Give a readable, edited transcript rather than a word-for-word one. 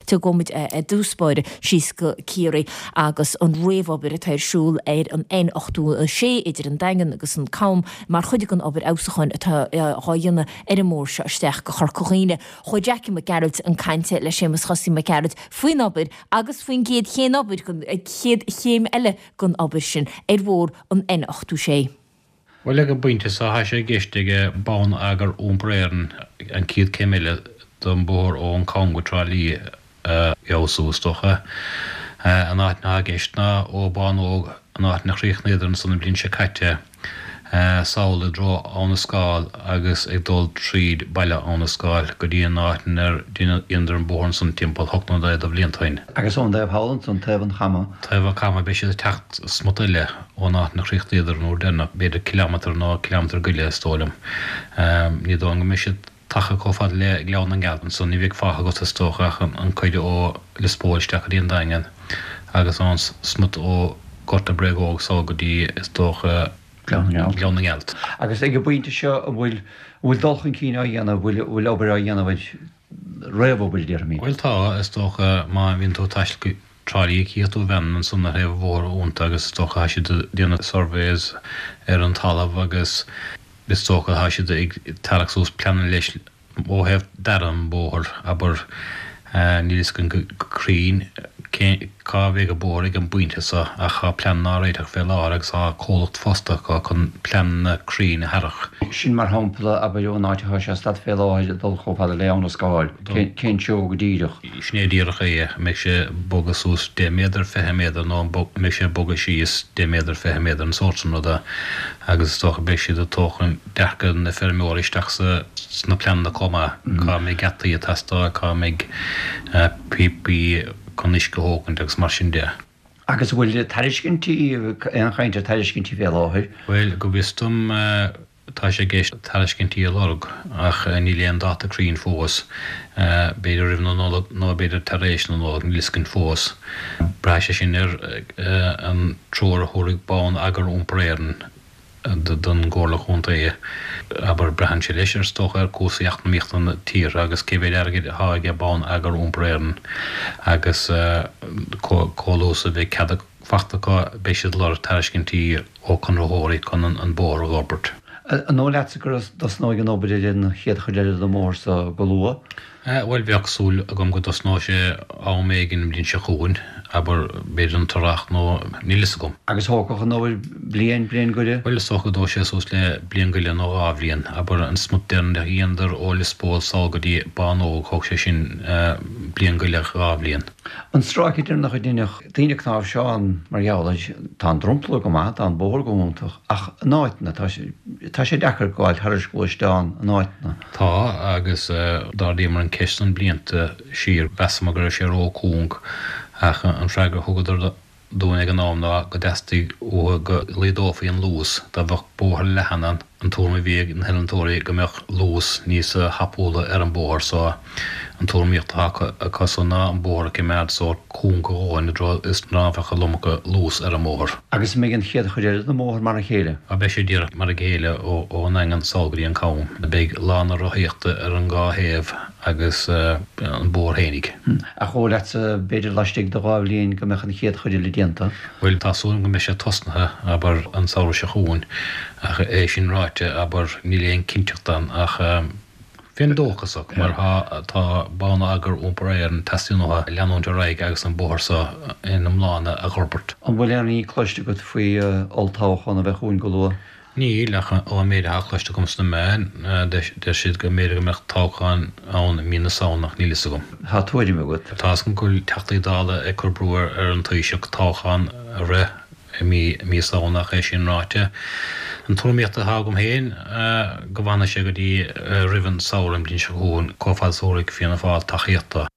Tiocfaidh muid i dtús báire síos go Ciarraí agus an réamhobair atá ar siúl ar an N86 idir an Daingean agus an Cam mar chuid den obair fheabhsúcháin atá á dhéanamh ar an mbóthar seo isteach go Chorca Dhuibhne. Chuaigh Jackie Mac Gearailt chun cainte le Séamus Chosaí Mac Gearailt faoin obair agus faoin gcéad chéim obair, chéad chéim eile den obair sin ar bhóthar an N86. Bhuel, ag an bpointe seo, tá sé i gceist ag Bonneagar Iompair Éireann an chéad chéim eile don bhóthar ón Cam go Trá Lí a fheabhsú, is dócha. An áit atá i gceist ná ó Bánóg, an áit inar chríochnaíodar ansan an bhliain seo caite, sall i dtreo Abha na Scáil agus ag dul tríd baile Abha na Scáil go dtí an áit inar dheineadar an bóthar ansan timpeall hocht nó naoi de bhlianta ó shin. Agus ón dtaobh thall ansan, taobh an Chama. Taobh an Chama, beidh siad ag teacht smut eile ón áit inar chríochnaíodar an uair deireanach, b'fhéidir cileámetar nó cileámetar go leith is dóigh liom. Ní dóigh liom go mbeidh siad tagtha chomh fada le Gleann na nGealt ansan, ní bheidh fágtha agat is dócha ach an cuid ó Lios Póil isteach go dtí an Daingean agus an smut ó Gort na bPréachóg sall go dtí, is dócha, Gleann na nGealt. Gleann na nGealt. Agus ag an bpointe seo an bhfuil, an bhfuil dul chun cinn á dhéanamh, an bhfuil, an bhfuil obair á dhéanamh air, réamhobair déarfaimid? Bhuel tá, is dócha, má bhíonn tú ag taisteal go Trá Lí cífidh tú veaineanna ansan ar thaobh an bhóthair iontu agus is dócha tá siad ag déanamh surveys ar an talamh agus Is dócha tá siad ag tarrac suas pleananna leis ó thaobh dearadh an bhóthair, abair. Níl fhios againn go cruinn cé cá bheidh an bóthar ag an bpointe seo ach tá pleananna á réiteach fé láthair agus tá comhlacht fostaithe acu chun pleananna cruinn a tharrac. Sin mar shampla, abair, ón áit atá sé ag stad fé láthair ag dul chomh fada le Abha na Scáil, cén treo go díreach? Sin é díreach é, an mbeidh sé ag bogadh suas 10 méadar, 20 méadar nó an mbeidh sé ag bogadh síos 10 méadar, 20 méadar, an sórt sin ruda agus is dócha beidh siad ag tógaint dearcadh na feirmeoirí isteach sna pleananna chomh maith, cá mbeidh geataí ag teastáil, cá mbeidh píopaí chun uisce a thógaint agus mar sin de. Agus an bhfuil tairiscintí, aon chaint ar tairiscintí fé láthair? Bhuel, go bhfios dom, Tá sé i gceist tairiscintí a lorg ach níl aon dáta cruinn fós. B'fhéidir roimh na Nollag nó b'fhéidir tar éis na Nollag, níl fhios againn fós. Braithfidh sé sin ar an treoir a thabharfaidh Bonneagar Iompair Éireann don gComhairle Chontae. Abair, braitheann sé leis, is dócha, ar cúrsaí eacnamaíochta na tíre agus cé mhéad airgid atá aige Bonneagar Iompair Éireann agus chomh luath is a bheidh cead fachta acu, beidh siad ag lorg tairiscintí ó chonraitheoirí chun an bóthar a dh'fhorbairt. An dóigh leatsa go dtosnóidh an obair ar an chéad chuid eile den bhóthar so go luath? Bhuel, bheadh súil agam go dtosnóidh sé am éigin an bhliain seo chugainn, abair, b'fhéidir an t-earrach nó níl fhios agam. Agus thógfadh an obair bliain, bliain go leith? Bhuel, is dócha go dtógfaidh sé suas le bliain go leith nó dhá bhliain. Abair, an smut deireanach a dheineadar ó Lios Póil sall go dtí Bánóg, thóg sé sin bliain go leith, dhá bhliain. An stráice deireanach a deineadh daoine ag cnáimhseán mar gheall air, tá an dromchla go maith, tá an bóthar go hiontach, ach in áiteanna, tá sé, tá sé deacair gabháil thairis gluaisteán in áiteanna. Tá, agus d'ardaíomar an ceist san blianta siar, mheasamar go raibh sé ró-chúng, ach an freagra a thugadar dúinn ag an am ná go dteastaigh uathu go laghdófaí an luas, dá mbeadh bóthar leathan ann, An tuairim a bhí ag na hiolltóirí go mbeadh luas níos tapúla ar an bóthar so an tuairimíocht atá acu san ná an bóthar a choimeád sórt cúng a dhóthain i dtreo is ná bheadh an iomarca luas ar an mbóthar. Agus an mbeidh an chéad chuid eile den mbóthar mar a chéile? Á beidh sé díreach mar a chéile ón nDaingean sall go dtí an Cam. Beidh lána rothaíochta ar an dhá thaobh agus an bóthar fhéinig. Ach dóigh leatsa b'fhéidir laistigh de dhá bhliain go mbeadh an chéad chuid eile déanta? Bhuel, tá súil agam go mbeidh sé tosnaithe, abair, an samhradh seo chugainn, ach é sin ráite, abair, níl aon cinnteacht ann, ach bheinn dóchasach, mar tá, tá Bonneagar Iompair Éireann, teastaíonn uathu leanúint ar aghaidh agus an bóthar seo ina iomláine a dh'fhorbairt. An bhfuil aon ní cloiste agat faoi olltoghchán a bheith chugainn go luath? Níl, ach ón méid atá cloiste agam sna meáin, deir siad go mb'fhéidir go mbeadh toghchán ann i mí na Samhna ach níl fhios agam. Tá tuairim agat? Tá fhios agam go bhfuil Teachtaí Dála ag cur brú ar an Taoiseach toghchán a rith i mí mí Samhna ach é sin ráite, an tuairimíocht atá agam féin go bhfanfaidh sé go dtí roimh an samhradh an bhliain seo chugainn chomh fada is a thabharfaidh Fianna Fáil tacaíocht dó.